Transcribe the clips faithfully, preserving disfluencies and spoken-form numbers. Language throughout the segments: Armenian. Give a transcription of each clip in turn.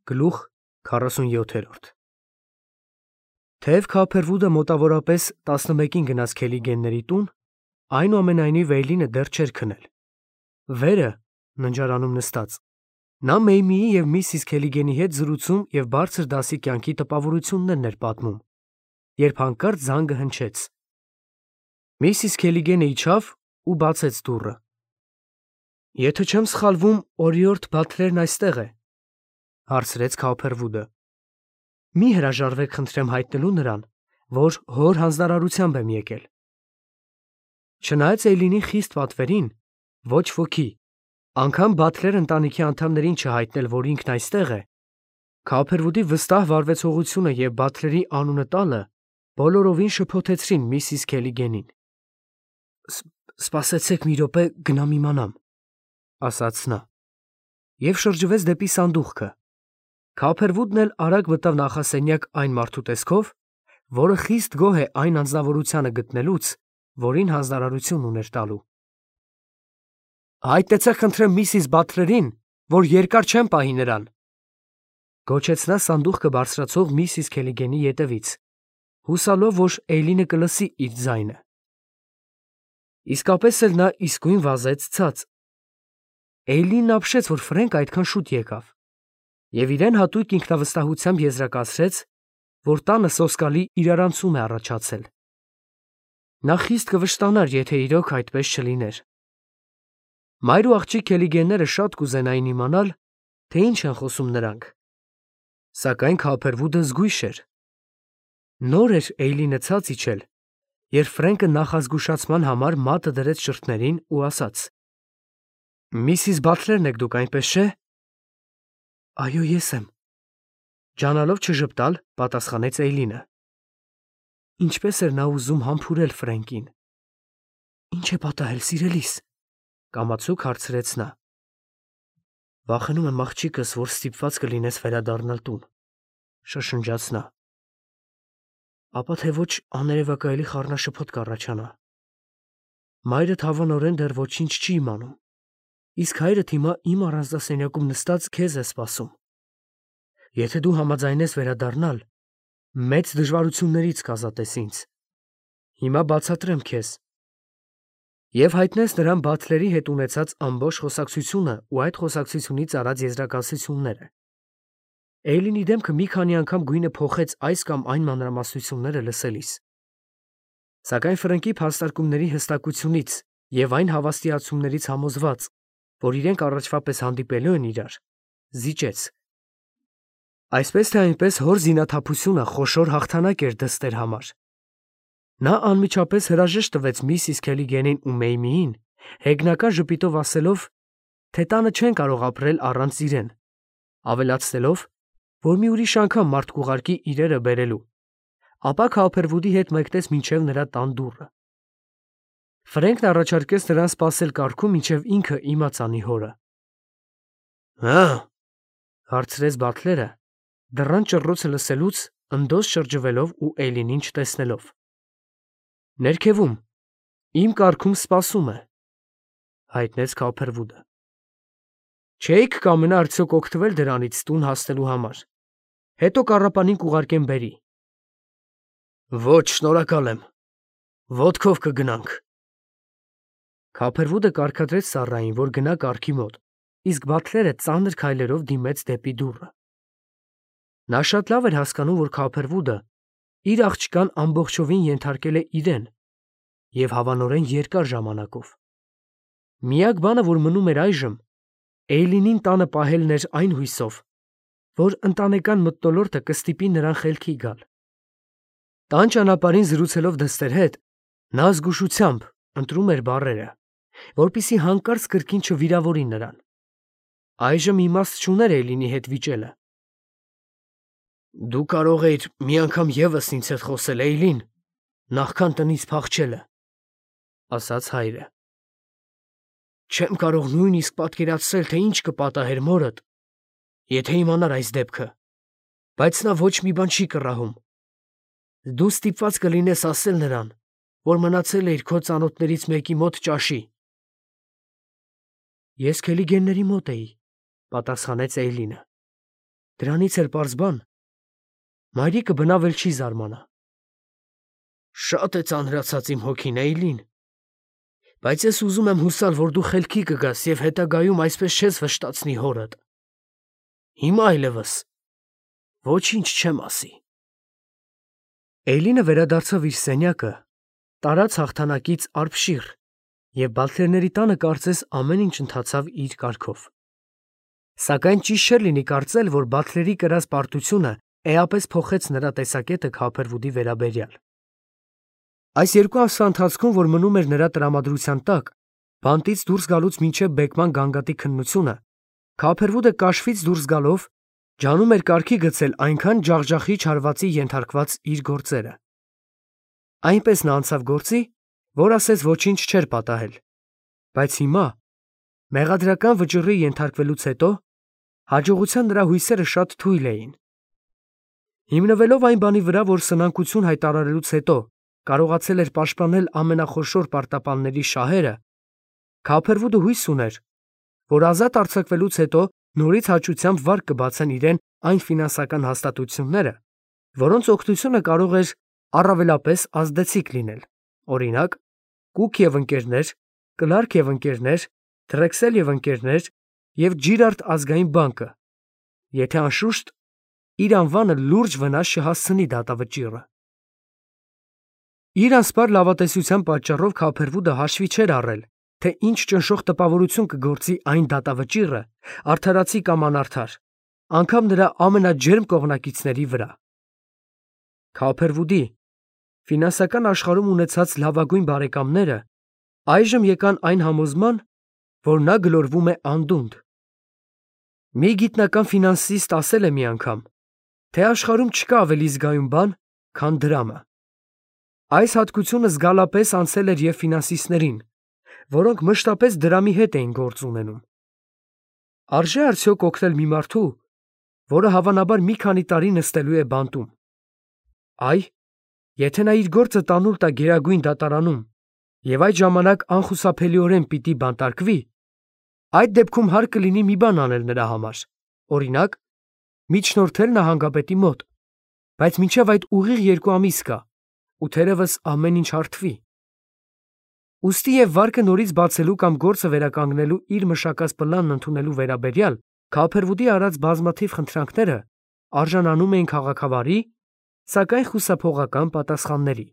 Գլուխ քառասունյոթ Թեև Քափերվուդը մոտավորապես տասնմեկին գնաց Քելիգենների տուն, այնուամենայնիվ Էյլինը դեռ չէր քնել։ Վերը, ննջարանում նստած, նա Մեյմիի և միսիս Քելիգենի հետ զրուցում և բարձր դասի կյանքի տպավորություններն էր պատմում, երբ հանկարծ զանգը հնչեց։ Միսիս Քելիգենը իջավ ու բացեց դուռը։ «Եթե չեմ սխալվում, օրիորդ Բաթլերն այստեղ է», հարցրեց Քափերվուդը։ «Մի հրաժարվեք, խնդրեմ, հայտնելու նրան, որ հոր հանձնարարությամբ եմ եկել»։ Չնայած Էյլինի խիստ պատվերին, ոչ ոքի, անգամ Բաթլեր ընտանիքի անդամներին չհայտնել, որ ինքն այստեղ է, Քափերվուդի վստահ վարվեցողությունը և Բաթլերի անունը տալը բոլորովին շփոթեցրին միսիս Քելիգենին։ «Սպասեցեք մի րոպե, գնամ իմանամ», ասաց նա, և շրջվեց դեպի սանդուղքը։ Քափերվուդն էլ արագ մտավ նախասենյակ այն մարդու տեսքով, որը խիստ գոհ է այն անձնավորությանը գտնելուց, որին հանձնարարություն ուներ տալու։ «Հայտնեցեք, խնդրեմ, միսիս Բաթլերին, որ երկար չեմ պահի նրան», գոչեց նա սանդուղքը բարձրացող միսիս Քելիգենի ետևից, հուսալով, որ Էյլինը կլսի իր ձայնը։ Իսկապես էլ նա իսկույն վազեց ցած։ Էյլինն ապշեց, որ Ֆրենկը այդքան շուտ եկավ, և իրեն հատուկ ինքնավստահությամբ եզրակացրեց, որ տանը սոսկալի իրարանցում է առաջացել։ Նա խիստ կվշտանար, եթե իրոք այդպես չլիներ։ Մայր ու աղջիկ Քելիգենները շատ կուզենային իմանալ, թե ինչ են խոսում նրանք, սակայն Քափերվուդը զգույշ էր։ Նոր էր Էյլինը ցած իջել, երբ Ֆրենկը նախազգուշացման համար մատը դրեց շրթներին ու ասաց. «Միսիս Բաթլերն եք դուք, այնպես չէ՞»։ «Այո, ես եմ», ջանալով չժպտալ, պատասխանեց Էյլինը։ Ինչպես էր նա ուզում համբուրել Ֆրենկին։ «Ինչ է պատահել, սիրելիս», կամացուկ հարցրեց նա։ «Վախենում եմ, աղջիկս, որ ստիպված կլինես վերադառնալ տուն», շշնջաց նա։ «Ապա թե ոչ աներևակայելի խառնաշփոթ կառաջանա։ Մայրդ հավանորեն դեռ ոչինչ չի իմանում, իսկ հայրդ հիմա իմ առանձնասենյակում նստած քեզ է սպասում։ Եթե դու համաձայնես վերադառնալ, մեծ դժվարություններից կազատես ինձ։ Հիմա բացատրեմ քեզ»։ Եվ հայտնեց նրան Բաթլերի հետ ունեցած ամբողջ խոսակցությունը ու այդ խոսակցությունից արած եզրակացությունները։ Էյլինի դեմքը մի քանի անգամ գույնը փոխեց այս կամ այն մանրամասնությունները լսելիս։ Սակայն Ֆրենկի փաստարկումների հստակությունից և այն հավաստիացումներից համոզված, որ իրենք առաջվա պես հանդիպելու են իրար, զիջեց։ Այսպես թե այնպես հոր զինաթափությունը խոշոր հաղթանակ էր դստեր համար։ Նա անմիջապես հրաժեշտ տվեց միսիս Քելիգենին ու Մեյմիին, հեգնական ժպիտով ասելով, թե տանը չեն կարող ապրել առանց իրեն, ավելացնելով, որ մի ուրիշ անգամ մարդ կուղարկի իրերը բերելու, ապա Քափերվուդի հետ մեկնեց մինչև նրա տան դուռը։ Ֆրենկն առաջարկեց նրան սպասել կառքում, մինչև ինքը իմաց անի հորը։ «Հը՞, հարցրեց Բաթլերը, դռան ճռռոցը լսելուց ընդոզ շրջվելով ու Էյլինին չտեսնելով։ «Ներքևում, իմ կառքում սպասում է», հայտնեց Քափերվուդը։ «Չէի՞ք կամենա արդյոք օգտվել դրանից տուն հասնելու համար, հետո կառապանին կուղարկեմ բերի»։ «Ոչ, շնորհակալ եմ, ոտքով կգնանք»։ Քափերվուդը կարգադրեց ծառային, որ գնա կառքի մոտ, իսկ Բաթլերը ծանր քայլերով դիմեց դեպի դուռը։ Նա շատ լավ էր հասկանում, որ Քափերվուդը իր աղջկան ամբողջովին ենթարկել է իրեն և հավանորեն երկար ժամանակով։ Միակ բանը, որ մնում էր այժմ, Էյլինին տանը պահելն էր այն հույսով, որ ընտանեկան մթնոլորտը կստիպի նրան խելքի գալ։ Տան ճանապարհին զրուցելով դստեր հետ, նա զգուշությամբ ընտրում էր բառերը, որպեսզի հանկարծ կրկին չվիրավորի նրան։ Այժմ իմաստ չուներ Էյլինի հետ վիճելը։ «Դու կարող էիր մի անգամ ևս ինձ հետ խոսել, Էյլին, նախքան տնից փախչելը», ասաց հայրը։ «Չեմ կարող նույնիսկ պատկերացնել, թե ինչ կպատահեր մորդ, եթե իմանար այս դեպքը, բայց նա ոչ մի բան չի կռահում։ Դու ստիպված կլինես ասել նրան, որ մնացել էիր քո ծանոթներից մեկի մոտ ճաշի»։ «Ես Քելիգենների մոտ էի», պատասխանեց Էյլինը։ Դրանից էլ պարզ բան, մայրիկը բնավ էլ չի զարմանա։ Շատ է ծանրացած իմ հոգին, Էյլին, բայց ես ուզում եմ հուսալ, որ դու խելքի կգաս և հետագայում այսպես չես վշտացնի հորդ։ Հիմա այլևս ոչինչ չեմ ասի։ Էյլինը վերադարձավ իր սենյակը, տարած հաղթանակից արբշիռ, և Բաթլերների տանը կարծես ամեն ինչ ընթացավ իր կարգով։ Սակայն ճիշտ չէր լինի կարծել, որ Բաթլերի կրած պարտությունը էապես փոխեց նրա տեսակետը Քոփերվուդի վերաբերյալ։ Այս երկու ամսվա ընթացքում, որ մնում էր նրա տրամադրության տակ, բանտից դուրս գալուց մինչև բեկման գանգատի քննությունը, Քոփերվուդը կաշվից դուրս գալով ջանում էր կարգի գցել այնքան ջախջախիչ հարվածի ենթարկված իր գործերը։ Այնպես նա անցավ գործի, որ ասես ոչինչ չէր պատահել, բայց հիմա, մեղադրական վճռի ենթարկվելուց հետո, հաջողության նրա հույսերը շատ թույլ էին։ Հիմնվելով այն բանի վրա, որ սնանկություն հայտարարելուց հետո կարողացել էր պաշտպանել ամենախոշոր պարտապանների շահերը, Քոփերվուդը հույս ուներ, որ ազատ արձակվելուց հետո նորից հաճությամբ վարկ կբացեն իրեն այն ֆինանսական հաստատությունները, որոնց օգնությունը կարող էր առավելապես ազդեցիկ լինել, օրինակ, Կուք և ընկերներ, Կլարկ և ընկերներ, Դրեքսել և ընկերներ և Ջիրարդ ազգային բանկը, եթե անշուշտ իր անվանը լուրջ վնաս չհասցնի դատավճիռը։ Իր անսպար լավատեսության պատճառով Քոփերվուդը հաշվի չէր առել, թե ինչ ճնշող տպավորություն կգործի այն դատավճիռը արդարացի կամ անարդար, անգամ նրա ամենաջերմ կողմնակիցների վրա։ Քոփերվուդի ֆինանսական աշխարհում ունեցած լավագույն բարեկամները այժմ եկան այն համոզման, որ նա գլորվում է անդունդը։ Մի գիտնական ֆինանսիստ ասել է մի անգամ, թե աշխարհում չկա ավելի զգայուն բան, քան դրամը։ Այս հատկությունը զգալապես անցել էր և ֆինանսիստներին, որոնք մշտապես դրամի հետ էին գործ ունենում։ Արժե՞ արդյոք օգնել մի մարդու, որը հավանաբար մի քանի տարի նստելու է բանտում։ Այ, եթե նա իր գործը տանուլ տա Գերագույն դատարանում և այդ ժամանակ անխուսափելիորեն պիտի բանտարկվի, այդ դեպքում հարկ կլինի մի բան անել նրա համար, օրինակ, միջնորդել նահանգապետի մոտ, բայց մինչև այդ ուղիղ երկու ամիս կա, ու թերևս ամեն ինչ հարթվի։ Ուստի և վարկը նորից բացելու կամ գործը վերականգնելու իր մշակած պլանն ընդունելու վերաբերյալ Քոփերվուդի արած բազմաթիվ խնդրանքները արժանանում էին քաղաքավարի, սակայն խուսափողական պատասխանների։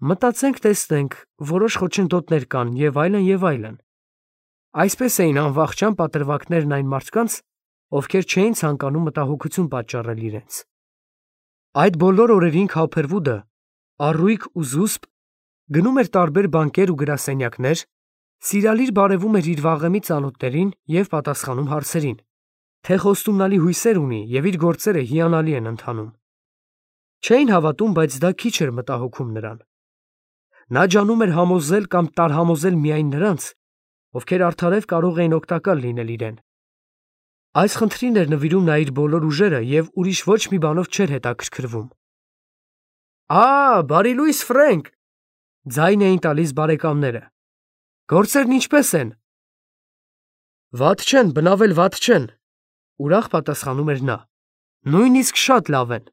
Մտածենք, տեսնենք, որոշ խոչընդոտներ կան և այլն, և այլն։ Այսպես էին անվախճան պատրվակներն այն մարդկանց, ովքեր չէին ցանկանում մտահոգություն պատճառել իրենց։ Այդ բոլոր օրերին Քոփերվուդը, առույգ ու զուսպ, գնում էր տարբեր բանկեր ու գրասենյակներ, սիրալիր բարևում էր իր վաղեմի ծանոթներին և պատասխանում հարցերին, թե խոստումնալի հույսեր ունի և իր գործերը հիանալի են ընթանում։ Չէին հավատում, բայց դա քիչ էր մտահոգում նրան։ Նա ջանում էր համոզել կամ տարհամոզել միայն նրանց, ովքեր արդարև կարող էին օգտակար լինել իրեն։ Այս խնդրին էր նվիրում նա իր բոլոր ուժերը և ուրիշ ոչ մի բանով չէր հետաքրքրվում։ «Ա, բարի լույս, Ֆրենկ», ձայն էին տալիս բարեկամները։ «Գործերն ինչպե՞ս են»։ «Վատ չեն, բնավ էլ վատ չեն», ուրախ պատասխանում էր նա։ «Նույնիսկ շատ լավ են»։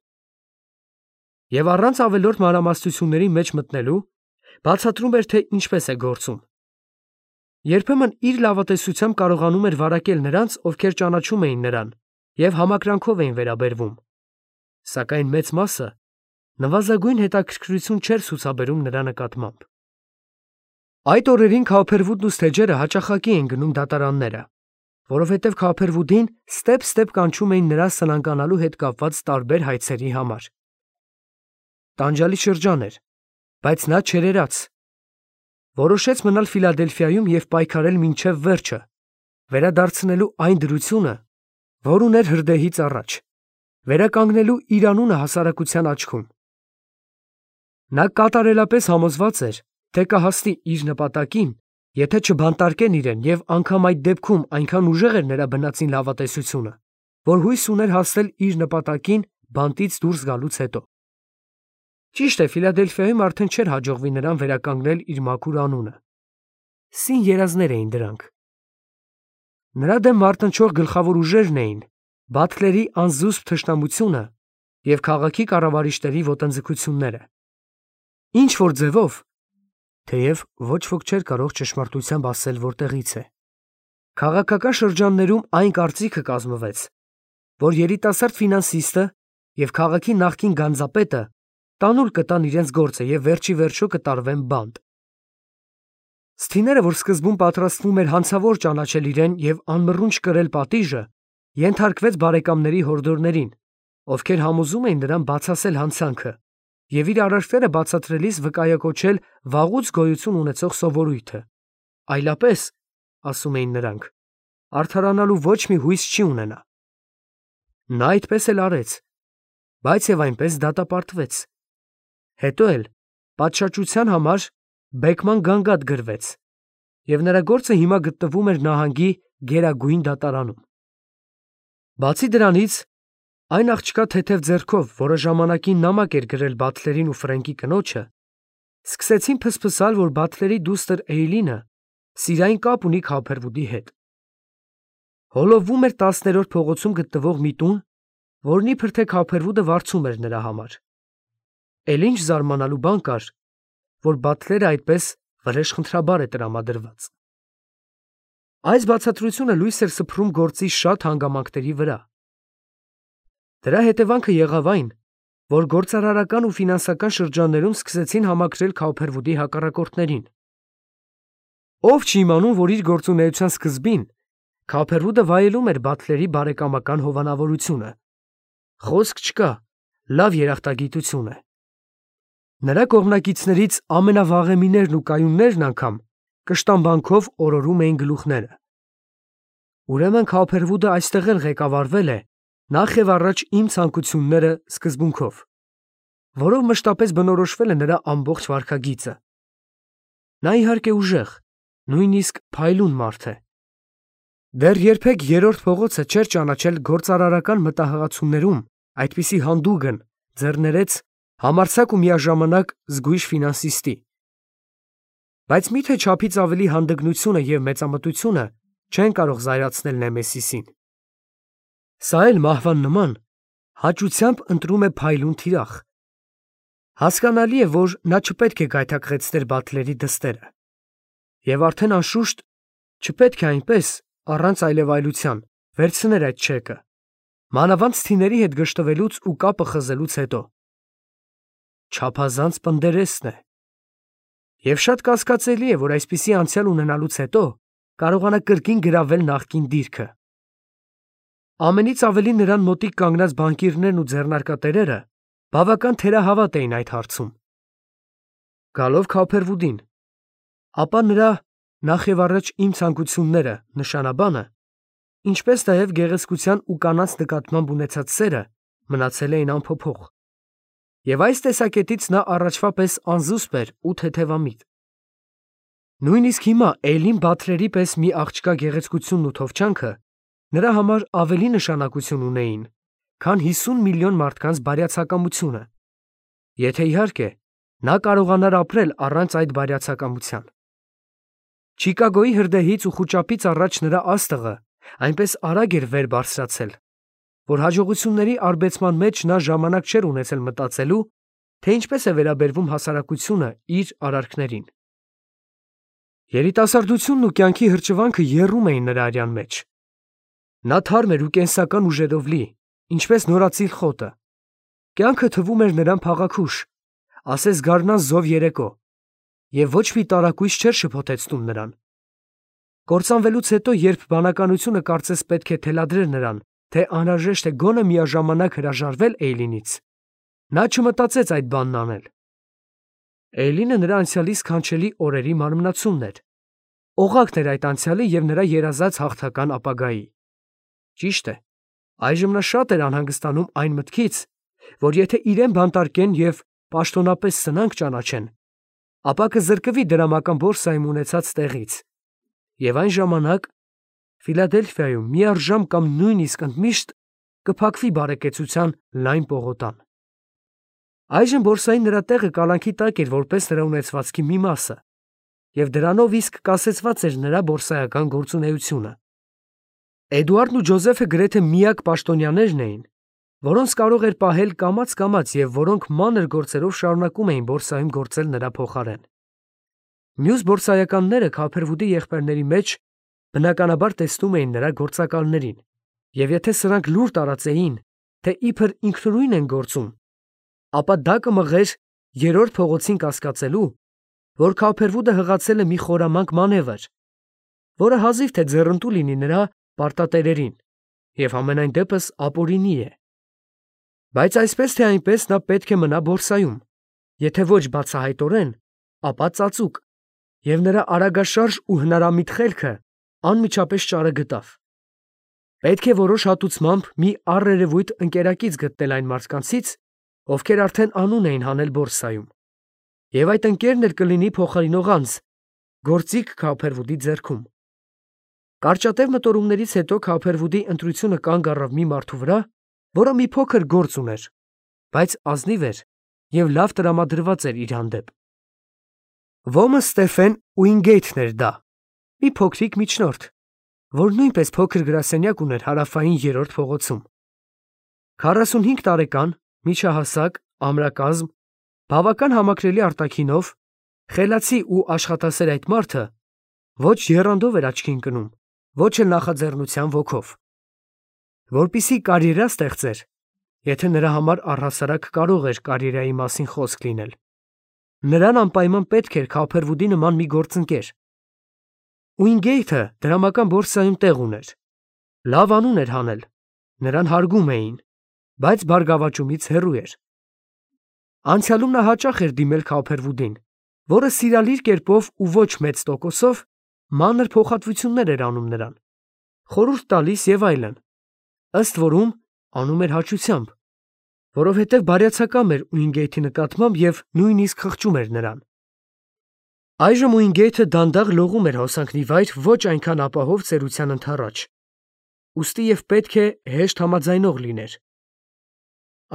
Եվ առանց ավելորդ մանրամասնությունների մեջ մտնելու, բացատրում էր, թե ինչպես է գործում։ Երբեմն իր լավատեսությամբ կարողանում էր վարակել նրանց, ովքեր ճանաչում էին նրան և համակրանքով էին վերաբերվում, սակայն մեծ մասը նվազագույն հետաքրքրություն չէր ցուցաբերում նրա նկատմամբ։ Այդ օրերին Քոփերվուդն ու Սթեջերը հաճախակի էին գնում դատարանները, որովհետև Քոփերվուդին ստեպ-ստեպ կանչում էին նրա սնանկանալու հետ կապված տարբեր հայցերի համար։ Տանջալի շրջան էր, բայց նա չերերաց։ Որոշեց մնալ Ֆիլադելֆիայում և պայքարել մինչև վերջը, վերադարձնելու այն դրությունը, որ ուներ հրդեհից առաջ, վերականգնելու իր անունը հասարակության աչքում։ Նա կատարելապես համոզված էր, թե կհասնի իր նպատակին, եթե չբանտարկեն իրեն, և անգամ այդ դեպքում այնքան ուժեղ էր նրա բնածին լավատեսությունը, որ հույս ուներ հասնել իր նպատակին բանտից դուրս գալուց հետո։ Ճիշտ է, Ֆիլադելֆիայում արդեն չէր հաջողվի նրան վերականգնել իր մաքուր անունը։ Սին երազներ էին դրանք։ Նրա դեմ մարտնչող գլխավոր ուժերն էին Բաթլերի անզուսպ թշնամությունը և քաղաքի կառավարիչների ոտնձգությունները։ Ինչ որ ձևով, թեև ոչ ոք չէր կարող ճշմարտությամբ ասել որտեղից է, քաղաքական շրջաններում այն կարծիքը կազմվեց, որ երիտասարդ ֆինանսիստը և քաղաքի նախկին գանձապետը տանուլ կտան իրենց գործը և վերջի վերջո կտարվեն բանտ։ Սթիները, որ սկզբում պատրաստվում էր հանցավոր ճանաչել իրեն և անմռունչ կրել պատիժը, ենթարկվեց բարեկամների հորդորներին, ովքեր համոզում էին նրան բացասել հանցանքը և իր արարքները բացատրելիս վկայակոչել վաղուց գոյություն ունեցող սովորույթը, այլապես, ասում էին նրանք, արդարանալու ոչ մի հույս չի ունենա։ Նա այդպես էլ արեց, բայց և այնպես դատապարտվեց։ Հետո էլ պատշաճության համար բեկման գանգատ գրվեց, և նրա գործը հիմա գտնվում էր նահանգի գերագույն դատարանում։ Բացի դրանից, այն աղջկա թեթև ձեռքով, որը ժամանակին նամակ էր գրել Բաթլերին ու Ֆրենկի կնոջը, սկսեցին փսփսալ, որ Բաթլերի դուստր Էյլինը սիրային կապ ունի Քոփերվուդի հետ։ Հոլովվում էր տասներորդ փողոցում գտնվող մի տուն, որն իբր թե Քոփերվուդը վարձում էր նրա համար։ Էլ ինչ զարմանալու բան կար, որ Բաթլերը այդպես վրեժխնդրաբար է տրամադրված։ Այս բացատրությունը լույս էր սփռում գործի շատ հանգամանքների վրա։ Դրա հետևանքը եղավ այն, որ գործարարական ու ֆինանսական շրջաններում սկսեցին համակրել Քոփերվուդի հակառակորդներին։ Ով չի իմանում, որ իր գործունեության սկզբին Քոփերվուդը վայելում էր Բաթլերի բարեկամական հովանավորությունը։ Խոսք չկա, լավ երախտագիտություն է։ Նրա կողմնակիցներից ամենավաղեմիներն ու կայուններն անգամ կշտամբանքով օրորում էին գլուխները։ Ուրեմն Քոփերվուդը այստեղ էլ ղեկավարվել է նախ և առաջ իմ ցանկությունները սկզբունքով, որով մշտապես բնորոշվել է նրա ամբողջ վարքագիծը։ Նա իհարկե ուժեղ, նույնիսկ փայլուն մարդ է։ Դեռ երբեք երրորդ փողոցը չէր ճանաչել գործարարական մտահղացումներում այդպիսի հանդուգն, ձեռներեց, համարձակ ու միաժամանակ զգույշ ֆինանսիստի։ Բայց մի՞թե չափից ավելի հանդգնությունը և մեծամտությունը չեն կարող զայրացնել Նեմեսիսին։ Սա էլ մահվան նման հաճությամբ ընտրում է փայլուն թիրախ։ Հասկանալի է, որ նա չպետք է գայթակղեցներ Բաթլերի դստերը։ Եվ արդեն անշուշտ չպետք է այնպես, առանց այլևայլության, վերցներ այդ չեկը, մանավանդ Սթիների հետ գժտվելուց ու կապը խզելուց հետո։ Չափազանց պնդերեսն է։ Եվ շատ կասկածելի է, որ այսպիսի անցյալ ունենալուց հետո կարողանա կրկին գրավել նախկին դիրքը։ Ամենից ավելի նրան մոտիկ կանգնած բանկիրներն ու ձեռնարկատերերը բավական թերահավատ էին այդ հարցում։ Գալով Քոփերվուդին, ապա նրա նախ և առաջ իմ ցանկությունները, նշանաբանը, ինչպես նաև գեղեցկության ու կանանց նկատմամբ ունեցած սերը մնացել էին անփոփոխ։ Եվ այս տեսակետից նա առաջվա պես անզուսպ էր ու թեթևամիտ։ Նույնիսկ հիմա Էյլին Բաթլերի պես մի աղջկա գեղեցկությունն ու թովչանքը նրա համար ավելի նշանակություն ունեին, քան հիսուն միլիոն մարդկանց բարյացակամությունը, եթե իհարկե նա կարողանար ապրել առանց այդ բարյացակամության։ Չիկագոյի հրդեհից ու խուճապից առաջ նրա աստղը այնպես արագ էր վեր բարձրացել, որ հաջողությունների արբեցման մեջ նա ժամանակ չէր ունեցել մտածելու, թե ինչպես է վերաբերվում հասարակությունը իր արարքներին։ Երիտասարդությունն ու կյանքի հրճվանքը եռում էին նրա արյան մեջ։ Նա թարմ էր ու կենսական ուժերով լի, ինչպես նորածիր խոտը։ Կյանքը թվում էր նրան փաղաքուշ, ասես գարնան զով երեկո, և ոչ մի տարակույս չէր շփոթեցնում նրան։ Կործանվելուց հետո, երբ բանականությունը կարծես պետք է թելադրեր նրան, թե անհրաժեշտ է գոնե միաժամանակ հրաժարվել Էյլինից, նա չմտածեց այդ բանն անել։ Էյլինը նրա անցյալի սքանչելի օրերի մարմնացումն էր, օղակն էր այդ անցյալի և նրա երազած հաղթական ապագայի։ Ճիշտ է, այժմ նա շատ էր անհանգստանում այն մտքից, որ եթե իրեն բանտարկեն և պաշտոնապես սնանկ ճանաչեն, ապա կզրկվի դրամական բորսայում ունեցած տեղից, և այն ժամանակ Ֆիլադելֆիայում միառժամ կամ նույնիսկ ընդմիշտ կփակվի բարեկեցության լայն պողոտան։ Այժմ բորսայի նրա տեղը կալանքի տակ էր որպես նրա ունեցվածքի մի մասը, և դրանով իսկ կասեցված էր նրա բորսայական գործունեությունը։ Էդուարդն ու Ջոզեֆը գրեթե միակ պաշտոնյաներն էին, որոնց կարող էր պահել կամաց-կամաց և որոնք մանր գործերով շարունակում էին բորսայում գործել նրա փոխարեն։ Մյուս բորսայականները Քափերվուդի եղբայրների մեջ բնականաբար տեսնում էին նրա գործակալներին, և եթե սրանք լուր տարածեին, թե իբր ինքնուրույն են գործում, ապա դա կմղեր երրորդ փողոցին կասկածելու, որ Քափերվուդը հղացել է մի խորամանկ մանևր, որը հազիվ թե ձեռնտու լինի նրա պարտատերերին և համենայն դեպս ապօրինի է։ Բայց այսպես թե այնպես նա պետք է մնա բորսայում, եթե ոչ բացահայտորեն, ապա ծածուկ, և նրա արագաշարժ ու հնարամիտ խելքը անմիջապես ճարը գտավ։ Պետք է որոշ հատուցմամբ մի առերևույթ ընկերակից գտնել այն մարդկանցից, ովքեր արդեն անուն էին հանել բորսայում, և այդ ընկերն էլ կլինի փոխարինող անձ, գործիք Քափերվուդի ձեռքում։ Կարճատև մտորումներից հետո Քափերվուդի ընտրությունը կանգ առավ մի մարդու վրա, որը մի փոքր գործ ուներ, բայց ազնիվ էր և լավ տրամադրված էր իր հանդեպ։ Ոմը Ստեֆեն Ուինգեյթն էր դա, մի փոքրիկ միջնորդ, որ նույնպես փոքր գրասենյակ ուներ հարավային երրորդ փողոցում։ քառասունհինգ տարեկան, միջահասակ, ամրակազմ, բավական համակրելի արտաքինով, խելացի ու աշխատասեր այդ մարդը ոչ եռանդով էր աչքի ընկնում, ոչ էլ նախաձեռնության ոգով։ Որպեսզի կարիերա ստեղծեր, եթե նրա համար առհասարակ կարող էր կարիերայի մասին խոսք լինել, նրան անպայման պետք էր Քափերվուդի նման մի գործընկեր։ Ուինգեյթը դրամական բորսայում տեղ ուներ, լավ անուն էր հանել, նրան հարգում էին, բայց բարգավաճումից հեռու էր։ Անցյալում նա հաճախ էր դիմել Քափերվուդին, որը սիրալիր կերպով ու ոչ մեծ տոկոսով մանր փոխհատվություններ էր անում նրան, խորհուրդ տալիս և այլն, ըստ որում անում էր հաճությամբ, որովհետև բարյացակամ էր Ուինգեյթի նկատմամբ և նույնիսկ խղճում էր նրան։ Այժմ Ուինգեյթը դանդաղ լողում էր հոսանքների վայր ոչ այնքան ապահով ծերության ընդառաջ, ուստի և պետք է հեշտ համաձայնող լիներ։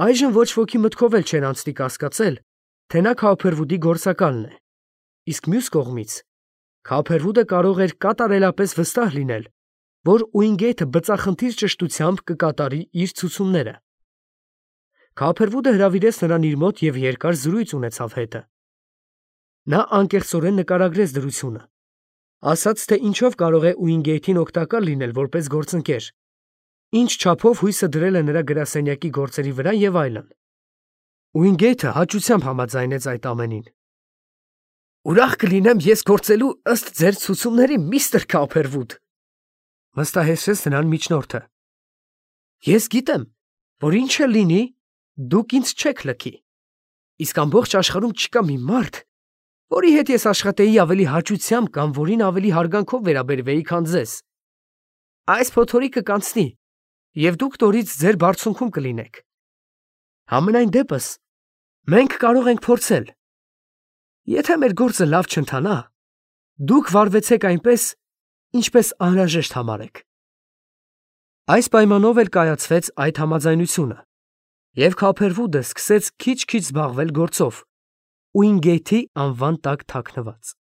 Այժմ ոչ ոքի մտքով էլ չէր անցնի կասկածել, թե նա Քափերվուդի գործակալն է, իսկ մյուս կողմից Քափերվուդը կարող էր կատարելապես վստահ լինել, որ Ուինգեյթը բծախնդիր ճշտությամբ կկատարի իր ցուցումները։ Քափերվուդը հրավիրեց նրան իր մոտ և երկար զրույց ունեցավ հետը։ Նա անկեղծորեն նկարագրեց դրությունը, ասաց, թե ինչով կարող է Ուինգեյթին օգտակար լինել որպես գործընկեր, ինչ չափով հույսը դրել է նրա գրասենյակի գործերի վրա և այլն։ Ուինգեյթը հաճությամբ համաձայնեց այդ ամենին։ «Ուրախ կլինեմ ես գործելու ըստ ձեր ցուցումների, միստր Քափերվուդ», վստահեցրեց նրան միջնորդը։ «Ես գիտեմ, որ ինչ էլ լինի, դուք ինձ չեք լքի, իսկ ամբողջ աշխարհում չկա մի մարդ, որի հետ ես աշխատեի ավելի հաճությամբ կամ որին ավելի հարգանքով վերաբերվեի, քան ձեզ։ Այս փոթորիկը կանցնի, և դուք նորից ձեր բարձունքում կլինեք։ Համենայն դեպս, մենք կարող ենք փորձել։ Եթե մեր գործը լավ չընթանա, դուք վարվեցեք այնպես, ինչպես անհրաժեշտ համարեք»։ Այս պայմանով էլ կայացվեց այդ համաձայնությունը, և Քափերվուդը սկսեց քիչ-քիչ զբաղվել գործով, Ուինգեյթի անվան տակ թաքնված։